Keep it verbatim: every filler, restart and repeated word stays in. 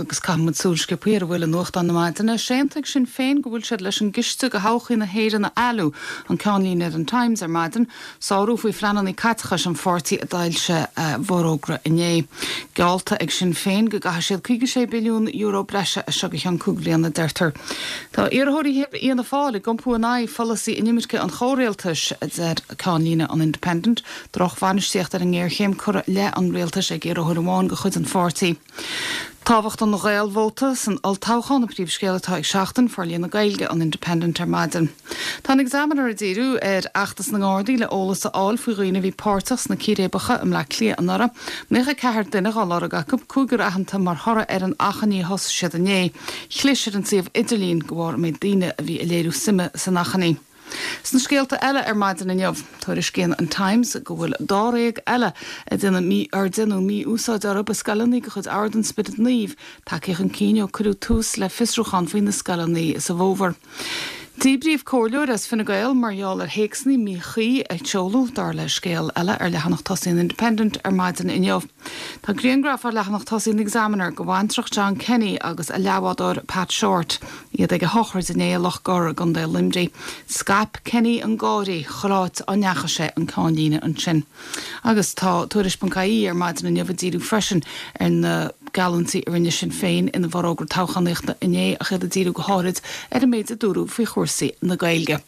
Agus caithfimid súil sciobtha ar a bhfuil i nuachtáin na maidine, séanta ag Sinn Féin go bhfuil siad leis an gciste do thodhchaí na hÉireann a fhailiú, an ceannlíne ar an Times ar maidin, sárú faoi phleananna caiteachais an pháirtí a d'fhoilsigh a bhforógra inné. Geallta ag Sinn Féin go gcaithfidh siad caoga sé billiún euro breise as seo go ceann cúig bliana, deirtear. Tá iarrthóirí Fhianna Fáil ag iompú in aghaidh pholasaí inimirce an chomhrialtais, a deir ceannlíne an Independent, drochbhainistíocht ar an ngéarchéim curtha i leith an rialtais ag iarrthóir amháin de chuid an pháirtí. Tábhacht an Ghaelvóta san olltoghchán an príomhscéal atá ag Seachtain, Forlíonadh Gaeilge an Independent ar maidin. Tá an Examiner ag díriú ar fheachtas na nGardaí le eolas a fháil faoi dhaoine a bhí páirteach sna círéibeacha i mBleá Cliath anuraidh. Naocha ceathair duine á lorg acu, cúigear aitheanta mar thoradh ar an achainí a thosaigh siad inné. Chlis ar an suíomh idirlín de bharr an méid daoine a bhí ag léiriú suime san achainí. Sna scéalta eile ar maidin inniu, tuairiscíonn an Times go bhfuil dáréag eile a déanadh ar déanadh mí-úsáid orthu i scoileanna de chuid Ord an Spioraid Naoimh tagtha chun cinn ó cuireadh tús le fiosrúchán faoi na scoileanna sa bhfómhar. Díbríodh comhairleoir as Fine Gael mar gheall ar théacsanna míchuí a sheoladh dar le scéal eile ar leathanach tosaigh an Independent ar maidin inniu. Tá grianghraf ar leathanach tosaigh an Examiner de bhaintreach John Kenny agus a leathbhádóir Pat Shortt, iad ag a shochraid inné i Loch Gor i gContae Luimnigh. Scaip Kenny an gáire chuile áit a ndeachaigh sé an ceannlíne ansin. Agus tá Tuairisc.ie ar maidin inniu ag díriú freisin ar na geallúintí a rinne Sinn Féin ina bhforógra toghchánaíochta inné ach iad ag díriú go háirid ar an méid a dúradh faoi chúrsaí na Gaeilge.